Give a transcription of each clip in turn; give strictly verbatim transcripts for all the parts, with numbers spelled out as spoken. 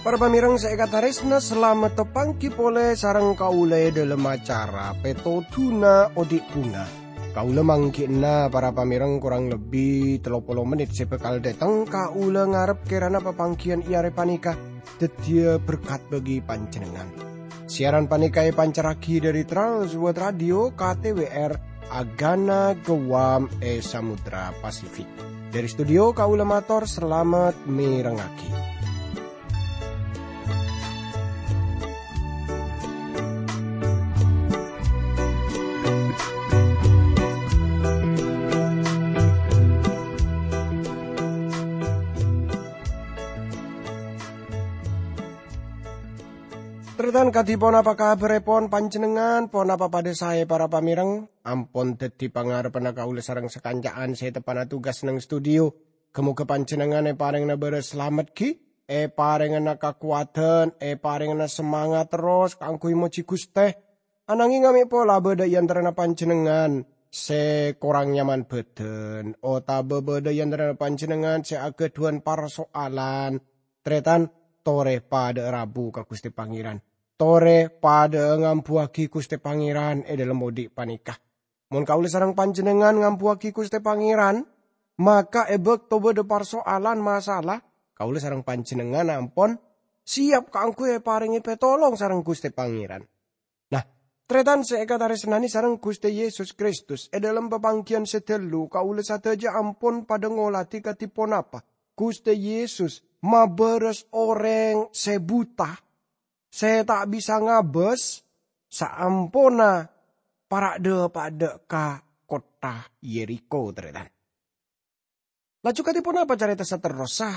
Para pamèrèng sè èkatarèsna, salamet tapangghi polè sareng kaulâ è dhâlem acara Pètodhuna Odi' Bhunga. Kaulâ mangghi'na para pamèrèng korang lebbi tello polo mennit sè bhâkal dâteng. Kaulâ ngarep kèrana papangghiyân è arè panèka dhâddhiyâ berkat bagi panjhennengngan. Siaran panèka èpancarraghi dhâri Trans World Radio K T W R Agana Guam è Samudra Pasifik. Dhâri studio kaulâ mator salamet mèrengngaghi. Tarètan, kadhi ponapa kabhârèpon panjhennengngan? Ponapa padâ saè, para pamèrèng? Ampon dhâddhi pangarebbhânna kaulâ sareng sakanca'an sè teppa'na tugas neng studio. Ghâ-mogâ panjhennengngan èparèngana bârâs salamet ghi, èparèngana kakowadhân, èparèngana samangat terros kaangghuy mojhi Ghustè. Ananghing amè' pola bâdâ è antarana panjhennengngan sè korang nyaman bhâdhân, otabâ bâdâ è antarana panjhennengngan sè aghâdhuwân parsoalan. Tarètan, torè padâ'â rabu ka Ghustè Pangèran. Torè padâ'â ngambuwâghi Ghustè Pangèran è dhâlem odi' panèka. Mon kaulâ sareng panjhennengngan ngambuwâghi Ghustè Pangèran, maka è bâkto bâdâ parsoalan masala, kaulâ sareng panjhennengngan ampon siyap kaangghuy èparèngè pètolong sareng Ghustè Pangèran. Nah, tarètan sè èkatarèsnanè sareng Ghustè Yesus Kristus, è dhâlem papangghiyân sè ghâllu, kaulâ sadhâjâ ampon padâ ngolatè kadhi ponapa Ghustè Yesus mabârâs orèng sè buta, sè ta' bisa ngabâs, saamponna para' dhâpa'a dâ' ka kottha Yerikho, tarètan. Laju kadhi ponapa carèta saterrossa?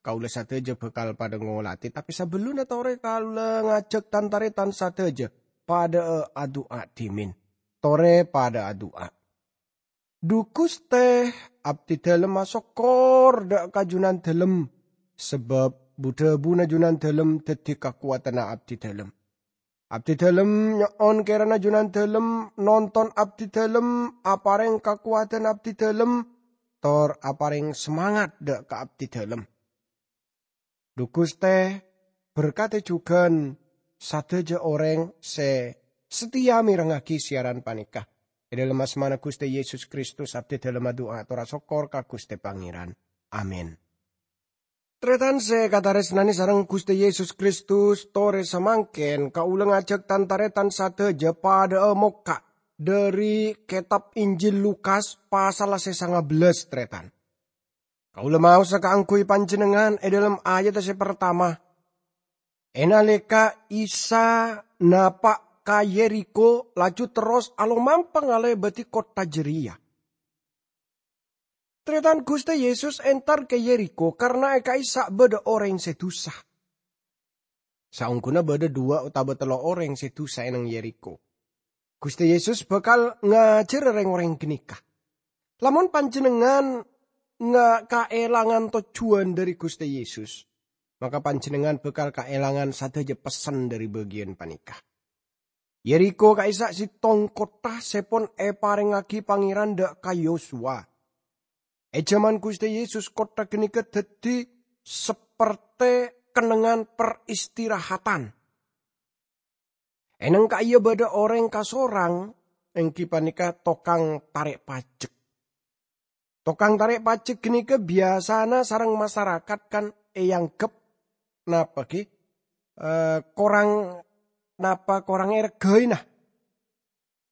Kaulâ sadhâjâ bhâkal padâ ngolatè, tapè sabellunna torè kaulâ ngajhâk tan-tarètan sadhâjâ padâ'â adu'a dhimèn. Torè padâ adu'a. Dhu Ghustè, abdhidhâlem asokkor dâ' ka Junandhâlem, sabâb bu-dhâbuna Junandhâlem dhâddhi kakowadhânna abdhidhâlem. Abdhidhâlem nyo'on kèrana Junandhâlem nonton abdhidhâlem, aparèng kakowadhân abdhidhâlem, tor aparèng samangat dâ' ka abdhidhâlem. Dhu Ghustè, berkadhi jhughân sadhâjâ orèng sè sateya mèrengngaghi siaran panèka. È dhâlem asmana Ghustè Yesus Kristus, abdhidhâlem adu'a tor asokkor ka Ghustè Pangèran. Amin. Tarètan sè èkatarèsnanè sareng Ghustè Yesus Kristus, torè samangkèn kaulâ ngajhâk tan-tarètan sadhâjâ padâ'â mokka' dhâri Kètab Injil Lukas pasalla sè sanga bellâs, tarètan. Kaulâ maosa kaangghuy panjhennengngan è dhâlem ayadda sè partama. È nalèka Isa napa' ka Yerikho, laju terros alomampa ngalèbâdhi kottha jârèya. Tarètan, Ghustè Yesus entar ka Yerikho karna è ka'issa' bâdâ orèng sè dusa. Saongghuna bâdâ duwâ' otabâ tello' orèng sè dusa è neng Yerikho. Ghustè Yesus bhâkal ngajhârâ rèng-orèng ghânèka. Lamon panjhennengngan nga-, kaèlangan tojjhuwân dhâri Ghustè Yesus, maka panjhennengngan bhâkal kaèlangan sadhâjâ pessen dhâri bâgiyân panèka. Yerikho ka'issa' sèttong kottha sè pon èparèngngaghi Pangèran dâ' ka Yosuwa. È jhâman Ghustè Yesus, kottha ghânèka dhâddhi sapertè kennengngan peristirahatan. È neng ka'iyâ bâdâ orèng kasorang, èngghi panèka tokang tarè' pajek. Tokang tarè' pajek ghânèka biyasana sareng masarakat kan èangghep napa ghi? Eh, korang, napa korang èrghâi, nah.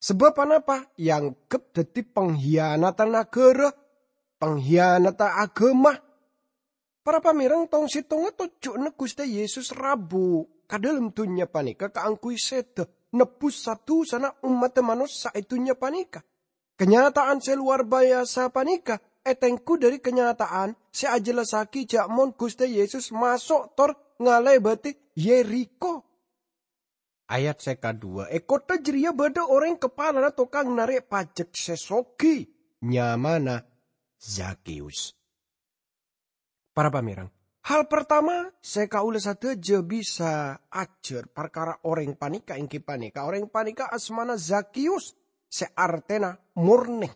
Sabâb anapa? Èangghep dhâddhi panghiyanatan aghârâ, panghiyanatan aghâma. Para pamèrèng, tong-sèttongnga tojjhuwânna Ghustè Yesus rabu ka dhâlem dhunnya panèka kaangghuy sèdhâ nebbhus sa-dusana ommaddhâ manossa è dhunnya panèka. Kanyata'an sè lowar biyasa panèka ètengghu dhâri kanyata'an sè ajhellassaghi jhâ' mon Ghustè Yesus maso' tor ngalèbâdhi Yerikho. Ayat sè kaduwâ, è kottha jârèya bâdâ orèng kapalana tokang narè' pajek sè soghi, nyamana Zakheyus. Para pamèrèng, Hal partama sè kaulâ sadhâjâ bisa ajhâr parkara orèng panèka èngghi panèka orèng panèka asmana Zakius, sè artèna mornè.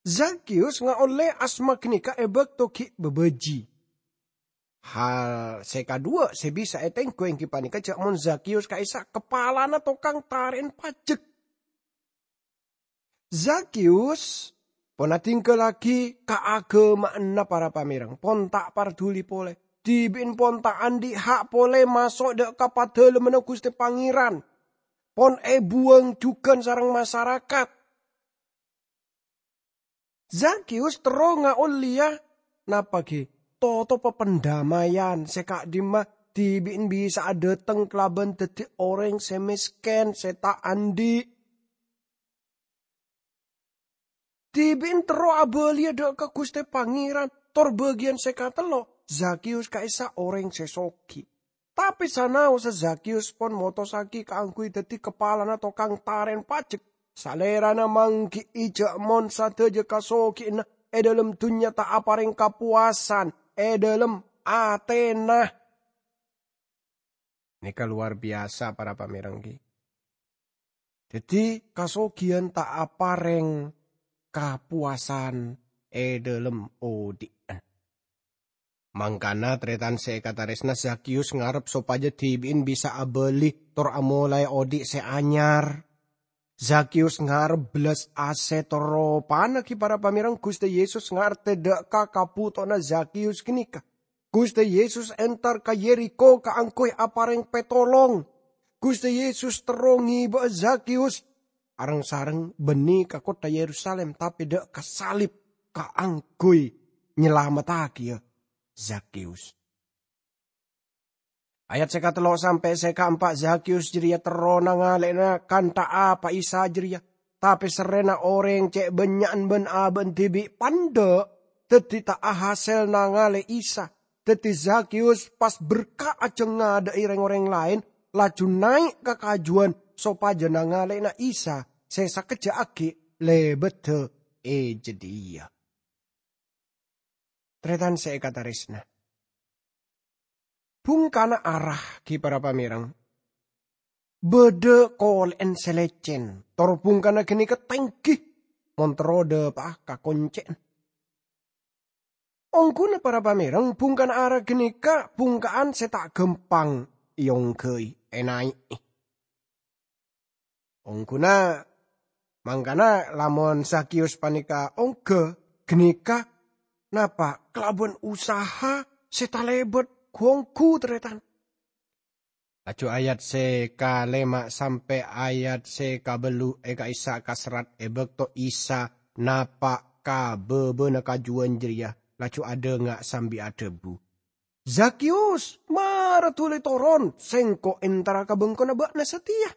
Zakius ngaollè asma ghânèka è bâkto ghi' bâbâji. Hal sè kaduwâ' sè bisa ètengghu èngghi panèka jhâ' mon Zakius ka'issa' kapalana tokang tarè'en pajek. Zakius pon adhinggâllaghi kaaghâma'anna para pamèreng, pon ta' parduli polè, dhibi'en pon ta' andi' ha' polè maso' dâ' ka Padalemmanna Ghustè Pangèran, pon èbuwâng jhughân sareng masarakat. Zakius terro ngaollèya napa ghi? Totopa pandamaian sè ka'dimma dhibi'en bisa'a dâteng kalabân dhâddhi orèng sè mèskèn, sè ta' andi'. Dhibi'en terro abâliyâ dâ' ka Ghustè Pangèran, tor bâgiyân sè katello', Zakius ka'issa' orèng sè soghi. Tapè sanaossa Zakius pon motossaghi kaangghuy dhâddhi kapalana tokang tarè'en pajek, salèrana mangghi'i jhâ' mon sadhâjâ kasoghiyânna è dâlem dhunnya ta' aparèng kapowasan è dâlem atèna. Nèka lowar biyasa, para pamèreng, ghi. Dhâddhi, kasoghiyân ta' aparèng kapowasan è dâlem odhi'na. Mangkana, tarètan sè èkatarèsna, Zakius ngarep sopajâ dhibi'en bisa abâli tor amolaè odhi' sè anyar. Zakius ngarep bellas asè tor ropana ghi para pamèreng Ghustè Yesus ngartè dâ' ka kabutowanna Zakius ghânèka. Ghustè Yesus entar ka Yerikho kaangghuy aparèng pètolong. Ghustè Yesus terro ngèbâ'â Zakius areng-sareng bânnè ka kottha Yerusalim, tapè dâ' ka salib kaangghuy nyalamettaghiyâ Zakius. Ayat sè katello' sampè' sè kaempa', Zakius jârèya terro nangalè'ana kantha apa Isa jârèya. Tapè serrèna orèng cè' bânnya'an bân-abâ'an dhibi' pandâ', dhâddhi ta' ahasèl nangalè Isa. Dhâddhi Zakius pas berka' ajâng ngadâ'i rèng-orèng laèn, laju naè' ka kajuwân sopajâ nangalè'ana Isa sè sakejjhâ' aghi' lèbâddhâ è jâdiyâ. Tarètan sè èkatarèsna. Bhungkana ara ghi para pamèreng. Bâdâ kolè'en sè lècèn, tor bhungkana ghânèka tèngghi, mon terro dâpa'a ka koncè'na. Ongghuna para pamèreng, bhungkana ara ghânèka bhungka'an sè ta' ghâmpang èongghâi, ènaè'è. Ongghuna mangkana lamon Zakius panèka ongghâ ghânèka napa kalabân usaha sè talèbât ghu-ongghu, tarètan. Laju ayat sè kalèma sampè' ayat sè kabâllu' è ka'issa' kaserrat è bâkto Isa napa' ka bâbâna kajuwân jârèya, laju adhânga' sambi adhâbu, "Zakius, mara dhuli toron, sèngko' entara ka bengkona bâ'na satèya."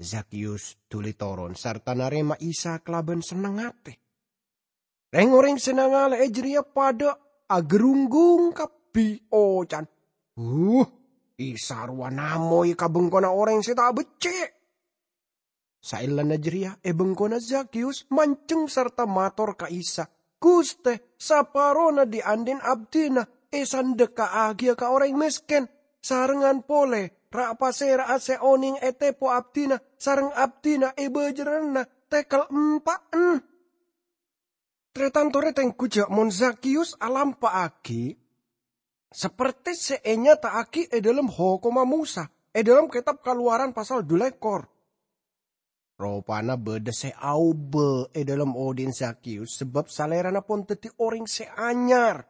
Zakius dhuli toron sarta narèma Isa kalabân senneng atè. Rèng-orèng sè nangalè'è jârèya padâ agarunggung kabbhi, oca'na, "Huh, Isa rowa namoy ka bengkona orèng sè ta' beccè'." Saellana jârèya, è bengkona Zakius manjheng sarta mator ka Isa, "Ghustè, saparona dhi'-andhi'na abdhina èsandheka'aghiyâ ka orèng mèskèn, sarengngan polè ra'-pasèra'a sè onèng ètèpo abdhina sareng abdhina èbâjârâna tèkel empa'en." Tarètan torè tengghu jâ' mon Zakius alampa'aghi sapertè sè ènyata'aghi è dâlem Hokomma Mosa, è dâlem Kètab Kalowaran pasal dhu lèkor. Ropana bâdâ sè aobâ è dâlem odhi'na Zakius, sabâb salèrana pon dhâddhi orèng sè anyar.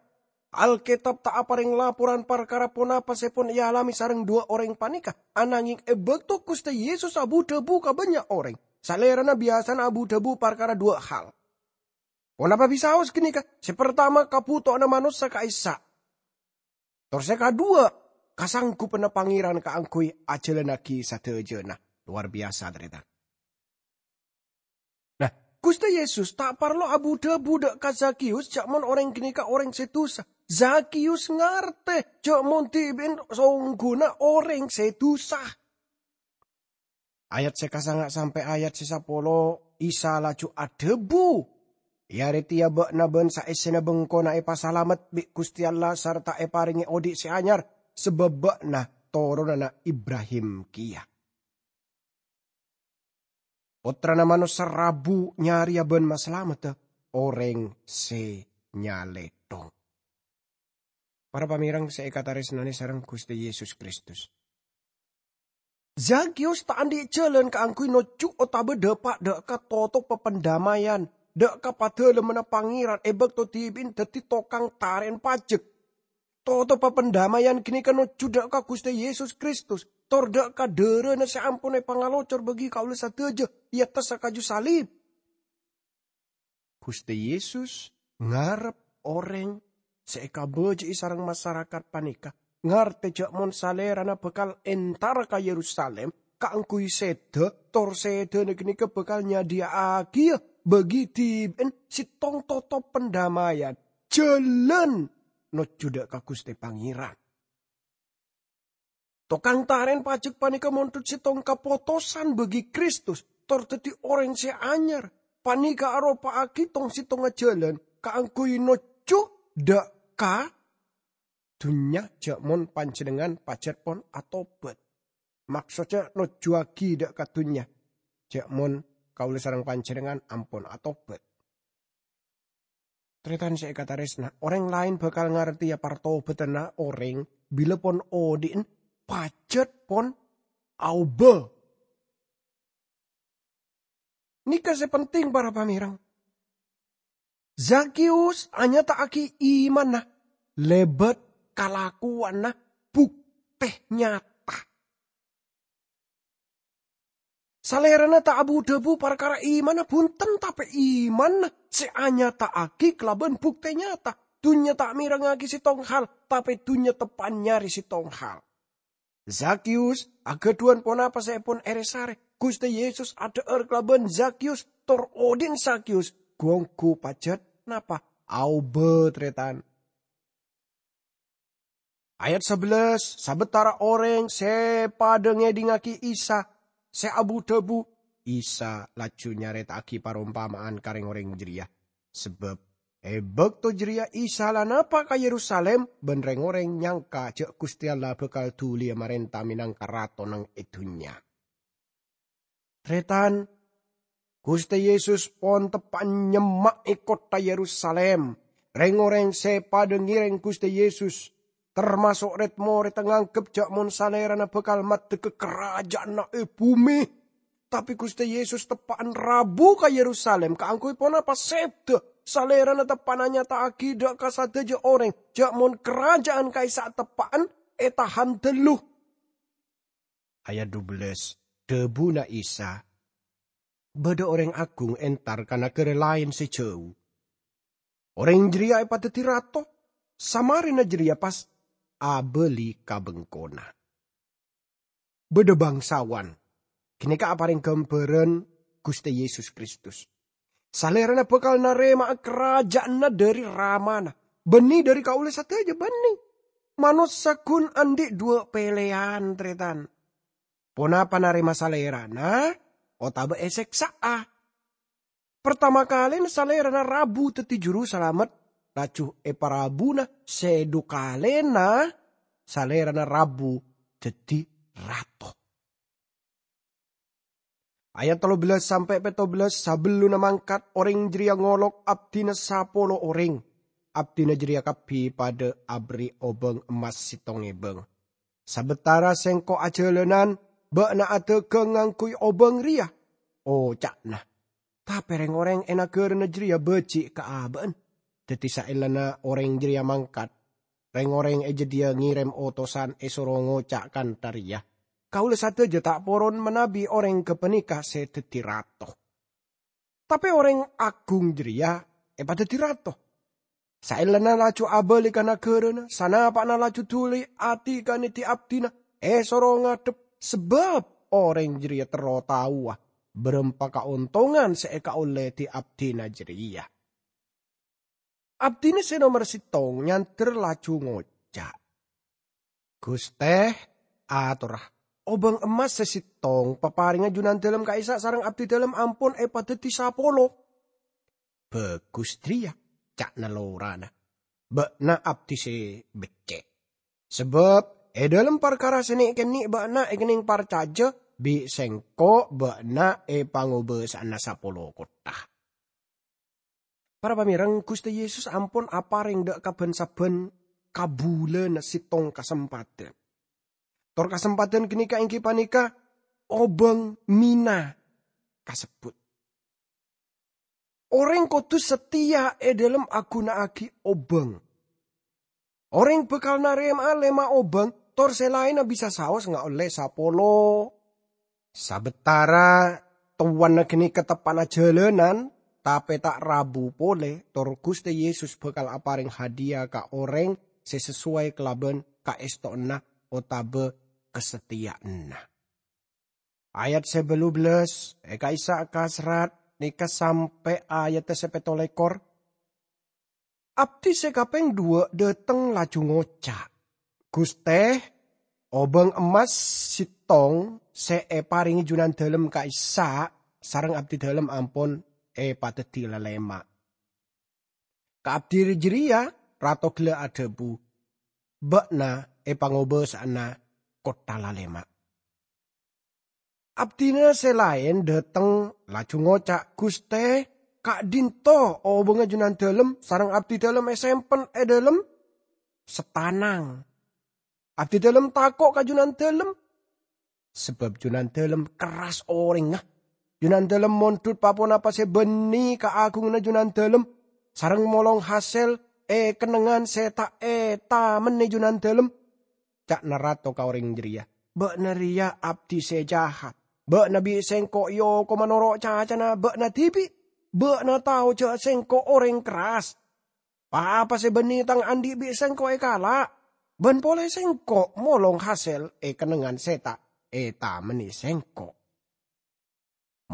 Alkètab ta' aparèng laporan parkara ponapa sè pon èalamè sareng duwâ' orèng panèka, ananghèng è bâkto Ghustè Yesus abu-dhâbu ka bânnya' orèng, salèrana biyasana abu-dhâbu parkara duwâ' hal. Ponapa bisaos ghânèka? Sè partama, kabhutowanna manossa ka'issa'. Tor sè kaduwâ', kasanggupanna Pangèran kaangghuy ajhâlannaghi sadhâjâna. Lowar biyasa, tarètan. Nah, Ghustè Yesus ta' parlo abu-dhâbu dâ' ka Zakius jâ' mon orèng ghânèka orèng sè dusa. Zakius ngartè jâ' mon dhibi'en songghuna orèng sè dusa. Ayat sè kasanga' sampè' ayat sè sapolo, Isa laju adhâbu, È arè tèya bâ'na bân saèssèna bengkona èpasalamet bi' Ghustè Allah sarta èparèngè odi' sè anyar, sabâb bâ'na toronanna Ibrahim kèya. Pottrana Manossa rabu nyarèya bân masalamedda orèng sè nyalèthong. Para pamèreng sè èkatarèsnanè sareng Ghustè Yesus Kristus, Zakius ta' andi' jhâlân kaangghuy nojjhu otabâ dâpa' dâ' ka totobbhâ pandamèyan, dâ' ka Padalemmanna Pangèran è bâkto dhibi'na dhâddhi tokang tarè'an pajek. Totobbhâ pandamèyan ghânèka nojjhu dâ' ka Ghustè Yesus Kristus, tor dâ' ka dârâna sè ampon èpangalocor bâgi kaulâ sadhâjâ è attassa kaju salib. Ghustè Yesus ngarep orèng sè èkabâjâ'i sareng masarakat panèka ngartè jâ' mon Salèrana bhâkal entara ka Yerusalim kaangghuy sèdhâ, tor sèdhâna ghânèka bhâkal nyadhiyâ'aghiyâ bâgi dhibi'na sèttong totop pandamèyan, jhâlân nojjhu dâ' ka Ghustè Pangèran. Tokang tarè'an pajek panèka mondhut sèttong kapotosan bâgi Kristus, tor dhâddhi orèng sè anyar. Panèka aropa'aghi tong-sèttongnga jhâlân kaangghuy nojjhu dâ' ka dhunnya jâ' mon panjhennengngan pajhât pon atobhât. Maksodda nojjhuwâghi dâ' ka dhunnya, jâ' mon kaulâ sareng panjhennengngan ampon atobhât. Tarètan sè èkatarèsna, orèng laèn bhâkal ngartèya partobhâdhânna orèng bilâ pon odi'na pajhât pon aobâ. Nèka sè penting, para pamèreng. Zakius anyata'aghi imanna lèbât kalakowanna, buktè nyata. Salèrana ta' abu-dhâbu parkara imanna bhunten, tapè imanna sè anyata'aghi kalabân buktè nyata. Dhunnya ta' mèrengngaghi sèttong hal, tapè dhunnya teppa'na nyarè sèttong hal. Zakius aghâdhuwân ponapa sè èpon èrè-sarè. Ghustè Yesus adhâ'âr kalabân Zakius, tor odi'na Zakius ghu-ongghu pajhât napa? Aobâ, tarètan. Ayat sabellâs, sabâtara orèng sè padâ ngèdingngaghi Isa sè abu-dhâbu, Isa laju nyarèta'aghi parompama'an ka rèng-orèng jârèya. Sabâb è bâkto jârèya Isa la napa' ka Yerusalim, bân rèng-orèng nyangka jâ' Ghustè Allah bhâkal dhuliyâ marènta mènangka Rato neng è dhunnya. Tarètan, Ghustè Yesus pon teppa'na nyemma'è kottha Yerusalim. Rèng-orèng sè padâ ngèrèng Ghustè Yesus, tamaso' rèd-morèdda, nganggep jâ' mon Salèrana bhâkal maddhegghâ karajâ'ânna è bhumè. Tapè Ghustè Yesus teppa'na rabu ka Yerusalim kaangghuy ponapa? Sèdhâ. Salèrana teppa'na nyata'aghi dâ' ka sadhâjâ orèng jâ' mon karajâ'ân ka'issa' teppa'na ètahan dâllu. Ayat dubellâs, dhâbuna Isa, "Bâdâ orèng agung entar ka naghârâ laèn sè jhâu. Orèng jârèya èpadhâddhi rato, samarèna jârèya pas abâli ka bengkona." Bâdâ bangsawan. Ghânèka aparèng ghâmbhârân Ghustè Yesus Kristus. Salèrana bhâkal narèma'a karajâ'ânna dâri Ramana, bânnè dâri kaulâ sadhâjâ bânnè. Manossa ghun andi' duwâ' pèlèyan, tarètan. Ponapa narèma Salèrana otabâ èsèksa'a? Partama kalèna Salèrana rabu dhâddhi Jurusalamet, laju èparabuna sè dhu kalèna Salèrana rabu dhâddhi Rato. Ayat tello bellâs sampè' pètto bellâs, sabellunna mangkat, orèng jârèya ngolok abdhina sapolo orèng. Abdhina jârèya kabbhi padâ aberri' obâng emmas sèttong èbâng. "Sabâtara sèngko' ajhâlânan, bâ'na adhâghâng ngangghuy obâng rèya," oca'na. Tapè rèng-orèng è naghârâna jârèya bâji' ka abâ'na. Dhâddhi saellana orèng jârèya mangkat, rèng-orèng è jâdiyâ ngèrèm otosan èsoro ngoca' kantha rèya, "Kaulâ sadhâjâ ta' poron manabi orèng ghâpanèka sè dhâddhi rato." Tapè orèng agung jârèya èpadhâddhi rato. Saellana laju abâli ka naghârâna, sanapa'na laju dhuli adhikanè di-abdhina èsoro ngadhep, sabâb orèng jârèya terro taowa bârâmpa kaontongan sè èkaollè di-abdhina jârèya. Abdhina sè nomer sèttong nyandher laju ngoca', "Ghustè, atorra, obâng emmas sè sèttong paparèngnga junandâlem ka'issa' sareng abdhidâlem ampon èpadhâddhi sapolo." "Bhâghus jârèya," ca'na lorana. "Bâ'na abdhi sè beccè'. Sabâb è dhâlem parkara sè nè'-kènè' bâ'na èkennèng parcajâ bi' sèngko' bâ'na è pangobâsa'anna sapolo kottha." Para pamèreng, Ghustè Yesus ampon aparèng dâ' ka bân-sabbhân kabulâna sèttong kasempadhân. Tor kasempadhân ghânèka èngghi panèka obâng mina kasebbhut. Orèng kodhu satèya è dhâlem aghunaaghi obâng. Orèng bhâkal narèma'a lèma' obâng, tor sè laènna bisa saos ngaollè sapolo. Sabâtara towana ghânèka teppa'na jhâlânan, tapè ta' rabu polè, tor Ghustè Yesus bhâkal aparèng hadiya ka orèng sè sasowai kalabân kaèstowanna otabâ kasatèyaanna. Ayat sè bâllu bellâs è ka'issa' kaserrat nèka sampè' ayadda sè pètto lèkor. Abdhi sè kapèng duwâ' dâteng laju ngoca', "Ghustè, obâng emmas sèttong sè èparèngè Junandâlem ka'issa' sareng abdhidâlem ampon èpadhâddhi lalèma'." Ka abdhi jârèya rato ghellâ' adhâbu, "Bâ'na èpangobâsa'ana kottha lalèma'." Abdhina sè laèn dâteng laju ngoca', "Ghustè, ka'dinto obângnga Junandâlem sareng abdhidâlem èsempen è dhâlem satanang. Abdhidâlem tako' ka Junandâlem, sabâb Junandâlem kerras orèngnga. Junandâlem mondhut pa-ponapa sè bânnè kaagunganna Junandâlem, sareng molong hasèl è kennengngan sè ta' ètamennè Junandâlem." Ca'na rato ka orèng jârèya, "Bâ'na rèya abdhi sè jahat. Bâ'na bi' sèngko' èokoma noro' cacana bâ'na dhibi'. Bâ'na tao jâ' sèngko' orèng kerras. Pa-apa sè bânnè tang andi' bi' sèngko' èkala', bân polè sèngko' molong hasèl è kennengngan sè ta' ètamennè sèngko'.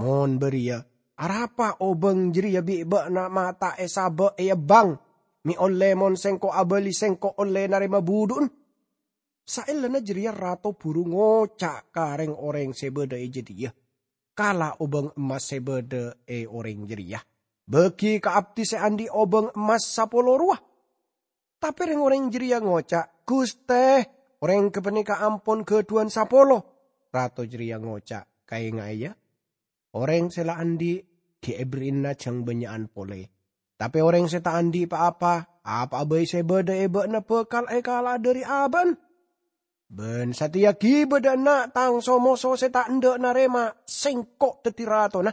Mon bâriyâ, arapa obâng jârèya bi' bâ'na ma' ta' èsabâ' èebbhâng, mè' ollè mon sèngko' abâli sèngko' ollè narèma budhu'en?" Saellana jârèya rato buru ngoca' ka rèng-orèng sè bâdâ è jâdiyâ, "Kala obâng emmas sè bâdâ è orèng jârèya, bâgi ka abdhi sè andi' obâng emmas sapolo rowa." Tapè rèng-orèng jârèya ngoca', "Ghustè, orèng ghâpanèka ampon ghâdhuwân sapolo." Rato jârèya ngoca', "Kaèngaè, yâ, orèng sè la andi' ghi' èberri'ana jâng bânnya'an polè. Tapè orèng sè ta' andi' pa-apa, apa'a bhâi sè bâdâ è bâ'na bhâkal èkala'a dâri abâ'na. Bân satèya ghibâ dâ' enna' tang so-moso sè ta' endâ' narèma sèngko' dhâddhi ratona.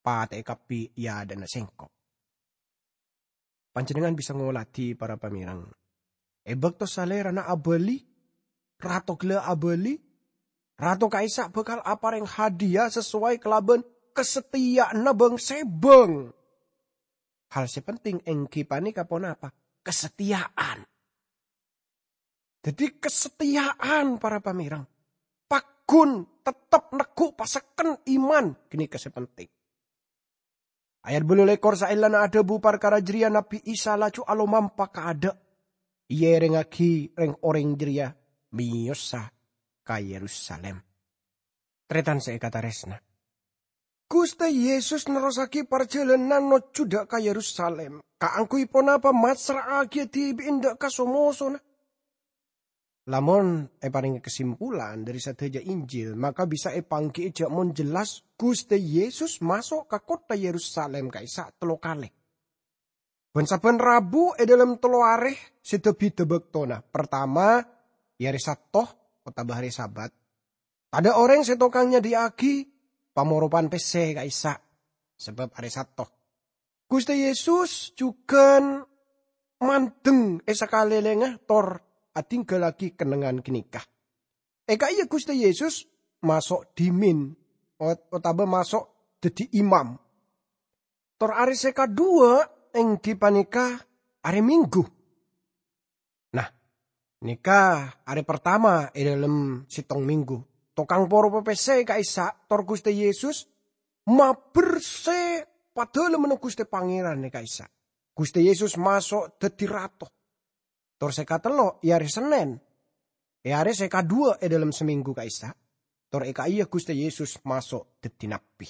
Patè'è kabbhi è adâ'na sèngko'." Panjhennengngan bisa ngoladhi, para pamèreng. È bâkto salèrana abâli, rato ghellâ' abâli, rato ka'issa' bhâkal aparèng hadiya sasoway kalabân kasatèyaanna bâng-sèbâng. Hal sè penting èngghi panèka ponapa? Kasatèyaan. Dhâddhi, kasatèyaan, para pamèreng. Paggun, tettep neggu' pasekken iman, ghânèka sè penting. Ayat bâllu lèkor, saellana adhâbu parkara jârèya, Nabbhi Isa laju alomampa kaadâ', èèrèngngaghi rèng-orèng jârèya mèyosa ka Yerusalim. Tarètan sè èkatarèsna, Ghustè Yesus nerrossaghi parjhâlânan nojjhu dâ' ka Yerusalim. Kaangghuy ponapa? Massra'aghiyâ dhibi'na dâ' ka so-mosona. Lamon èparèngè kasimpulan dhâri sadhâjâ Injil, maka bisa èpangghi'i jâ' mon jelas Ghustè Yesus maso' ka kottha Yerusalim ka'issa' tello kalè. Bân-sabbhân rabu è dhâlem tello arè sè dhâ-bhidhâ bâktona. Partama, è arè Satto otabâ arè Sabat. Tadâ' orèng sè tokang nyadhiyâ'aghi pamoropan pèssè ka'issa', sabâb arè Satto. Ghustè Yesus jhughân mandeng è sakalèlèngnga tor adhingghâllaghi kennengngan ghânèka. È ka'iyâ Ghustè Yesus maso' dhimèn ot-, otabâ maso' dhâddhi imam. Tor arè sè kaduwâ' èngghi panèka arè Minggu. Nah, nèka arè partama è dhâlem sèttong minggu. Tokang poro pèssè ka'issa' tor Ghustè Yesus maber sè padâlemmanna Ghustè Pangèran è ka'issa'. Ghustè Yesus maso' dhâddhi Rato. Tor sè katello' è arè Sennèn. È arè sè kaduwâ' è dhâlem samènggu ka'issa', tor è ka'iyâ Ghustè Yesus maso' dhâddhi nabbhi.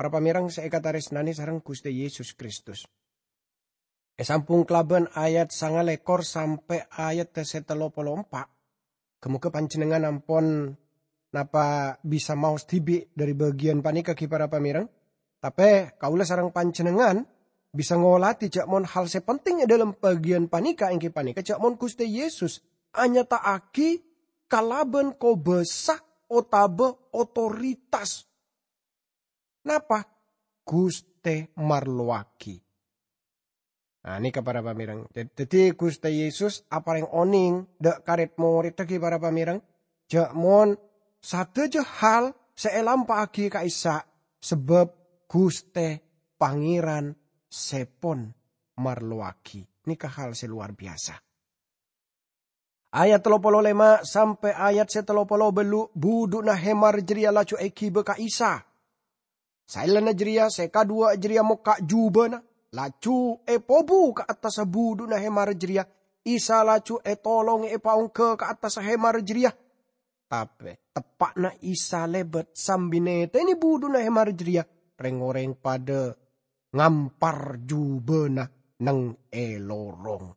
Para pamèrèng sè èkatarèsnanè sareng Ghustè Yesus Kristus. Èsambhung kalabân ayat sangalèkor sampè' ayat sè tello polo empa'. Ghâ-mogâ panjhennengngan ampon napa bisa maos dhibi' dhâri bâgiyân panèka, ghi, para pamèrèng. Tapè kaulâ sareng panjhennengngan bisa ngolatè jhâ' mon hal sè penting è dhâlem bâgiyân panèka èngghi panèka jhâ' mon Ghustè Yesus anyata'aghi kalabân kobâsa otabâ otoritas. Napa? Ghustè marlowaghi. Nah, nèka para pamèrèng. Dad-, dhâddhi Ghustè Yesus aparèng onèng dhâ' ka rèd-morèdda ghi para pamèrèng, jhâ' mon sadhâjâ hal sè èlampa'aghi ka'issa' sabâb Ghustè Pangèran sè pon marlowaghi. Nèka hal sè lowar biyasa. Ayat tello polo lèma' sampè' ayat sè tello polo bâllu', budhu'na hèmar jârèya laju èghibâ ka Isa. Saellana jârèya sè kaduwâ' jârèya mokka' jhubâna, laju èpobu ka attassa budhu'na hèmar jârèya. Isa laju ètolongè èpaongghâ ka attassa hèmar jârèya. Tapè teppa'na Isa lèbât sambi nètènè budhu'na hèmar jârèya, rèng-orèng padâ ngampar jhubâna neng è lorong.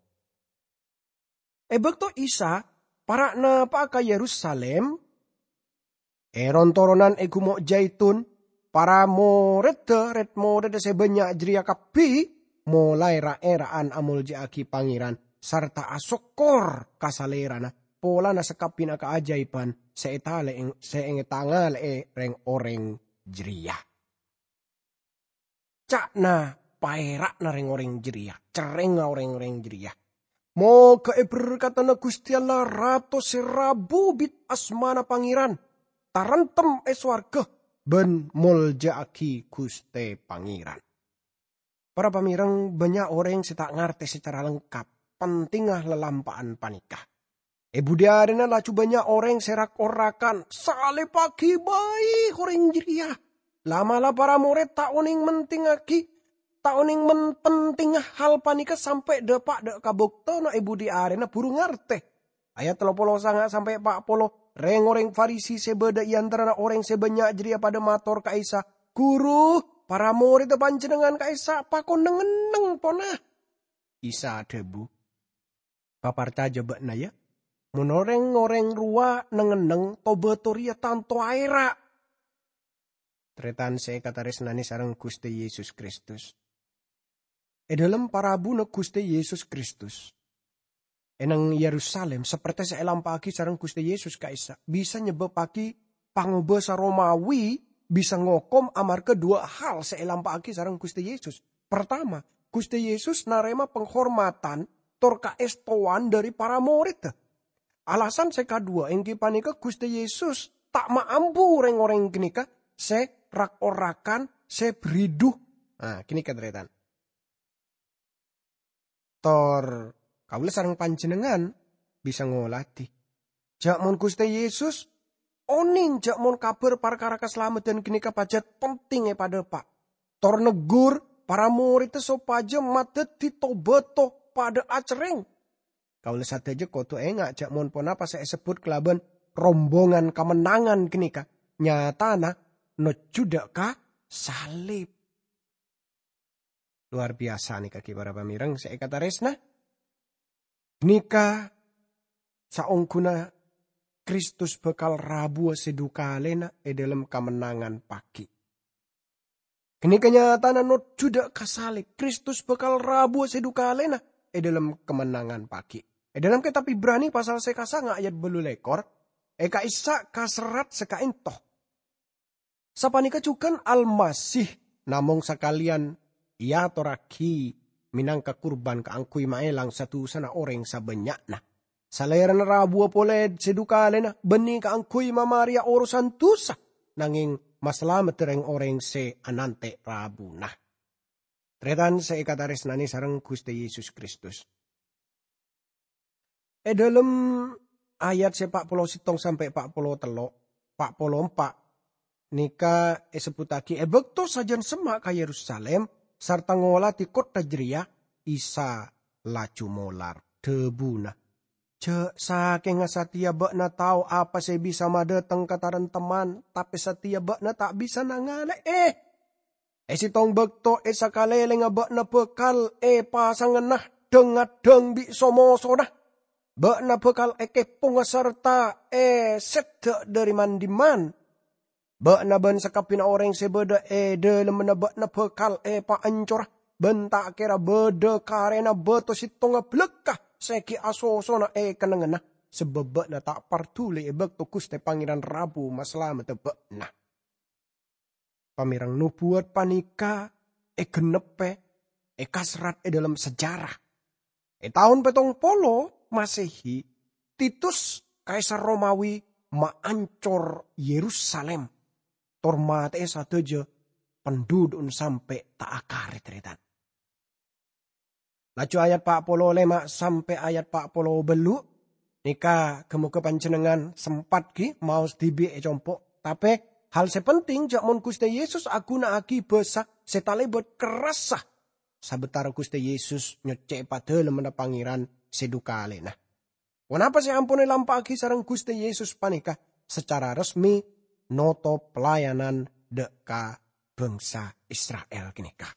È bâkto Isa para' napa'a ka Yerusalim, è ron-toronan è Gumo' Jaitun, para morèdda, rèd-morèdda sè bânnya' jârèya kabbhi molaè ra'-èra'an amoljâ'aghi Pangèran sarta asokkor ka Salèrana polana sakabbhiyânna kaajâibhân sè ètalè-, sè ètangalè'è rèng-orèng jârèya. Ca'na paèra'na rèng-orèng jârèya, cerrèngnga rèng-orèng jârèya. Mogâ èberkadhâna Ghustè Allah Rato sè rabu bit asmana Pangèran, taremtem è sowarghâ bân moljâ'aghi Ghustè Pangèran. Para pamèrèng, bânnya' orèng sè ta' ngartè sacara lengkap pentingnga lalampa'an panèka. È budhi arèna laju bânnya' orèng sè rak-orakan, "Salèbbhâghi bhâi orèng jârèya!" La'-mala' para morèd ta' onèng mentingngaghi, ta' onèng men-, pentingnga hal panèka sampè' dhâpa' dhâ' ka bâktona è budhi arèna buru ngartè. Ayat tello polo sanga' sampè' pa' polo, rèng-orèng Farisi sè bâdâ è antarana orèng sè bânnya' jârèya padâ mator ka Isa, "Ghuru, para morèdda Panjhennengngan ka'issa' pakon neng-enneng pona." Isa adhâbu, "Paparcajâ bâ'na, yâ, mon orèng-orèng rowa neng-enneng, to-bâto rèya tanto aèra'." Tarètan sè èkatarèsnanè sareng Ghustè Yesus Kristus. È dhâlem parabuna Ghustè Yesus Kristus, è neng Yerusalim, sapertè sè èlampa'aghi sareng Ghustè Yesus ka'issa', bisa nyebbabbhâghi pangobâsa Romawi bisa ngokom amarghâ duwâ' hal sè èlampa'aghi sareng Ghustè Yesus. Partama, Ghustè Yesus narèma panghormadhân tor kaèstowan dhâri para morèdda. Alasan sè kaduwâ' èngghi panèka Ghustè Yesus ta' maambu rèng-orèng ghânèka sè rak-orakan, sè bhâridhu. Nah, ghânèka, tarètan. Tor kaulâ sareng panjhennengngan bisa ngolatè jhâ' mon Ghustè Yesus onèng jhâ' mon kabhâr parkara kasalameddhân ghânèka pajhât penting èpadhâpa', tor neggur para morèdda sopajâ madhâddhi to-bâto padâ acerrèng. Kaulâ sadhâjâ kodhu enga' jhâ' mon ponapa sè èsebbhut kalabân rombongan kamennangan ghânèka nyatana nojjhu dhâ' ka salib. Lowar biyasa nèka ghi para pamèrèng sè èkatarèsna. Nèka saongghuna Kristus bhâkal rabuwâ sè dhukalèna è dhâlem kamennangan paghi'. Ghânèka nyatana nojjhu dhâ' ka salib, Kristus bhâkal rabuwâ sè dhukalèna è dhâlem kamennangan paghi'. È dhâlem Kètab Ibrani pasal sè kasanga' ayat bâllu lèkor, è ka'issa' kaserrat sè ka'ènto. Sapanèka jhughân Almasih namong sakalèyan èatorraghi mènangka kurban kaangghuy maèlang sa-dusana orèng sabânnya'na. Salèrana rabuwâ polè sè dhukalèna bânnè kaangghuy mamarèya orosan dusa, nangèng masalamedda rèng-orèng sè anantè' rabuna. Tarètan sè èkatarèsnanè sareng Ghustè Yesus Kristus. È dhâlem ayat sè pa' polo sèttong sampè' pa' polo tello', pa' polo empa', nèka èsebbhuttaghi è bâkto sajân semma' ka Yerusalim sarta ngolatè kottha jârèya, Isa laju molar. Dhâbuna, "Jhâ' sakènga satèya bâ'na tao apa sè bisa madhâteng kataremtemman, tapè satèya bâ'na ta' bisa nangalè'è." E settong bakto e sakalèlèngnga bâ'na bhâkal èpasangana dhâng-ngadhâng bi' so-mosona. Bâ'na bhâkal èkèpongnga sarta èsèdhâ' dhâri man-dimman. Bâ'na bân sakabbhiyânna orèng sè bâdâ è dhâlemmanna bâ'na bhâkal èpaancora, bân ta' kèra bâdâ karèna bâto settonga bâlâkka sè ghi' asosona è kennengnganna, sabâb bâ'na ta' parduli è bâkto Ghustè Pangèran rabu masalamedda bâ'na. Pamèreng nobuwât panèka ègennebbhâ, èkasrat è dhâlem sejarah. È taon pèttong polo Masehi, Titus, kaisar Romawi, maancor Yerusalem, tor matè'è sadhâjâ pandhudhu'na sampè' ta' akarit-rètan. Laju ayat pa' polo lèma' sampè' ayat pa' polo bâllu', nèka ghâ-mogâ panjhennengngan sempat ghi maos dhibi' è compo'. Tapè, hal sè penting jhâ' mon Ghustè Yesus aghuna'aghi bhâsa sè talèbât kerrassa sabâtara Ghustè Yesus nyoccè'è Padalemmanna Pangèran sè dhu kalèna. Ponapa sè ampon èlampa'aghi sareng Ghustè Yesus panèka sacara resmi notop pelayanan dâ' ka bangsa Isra'il ghânèka?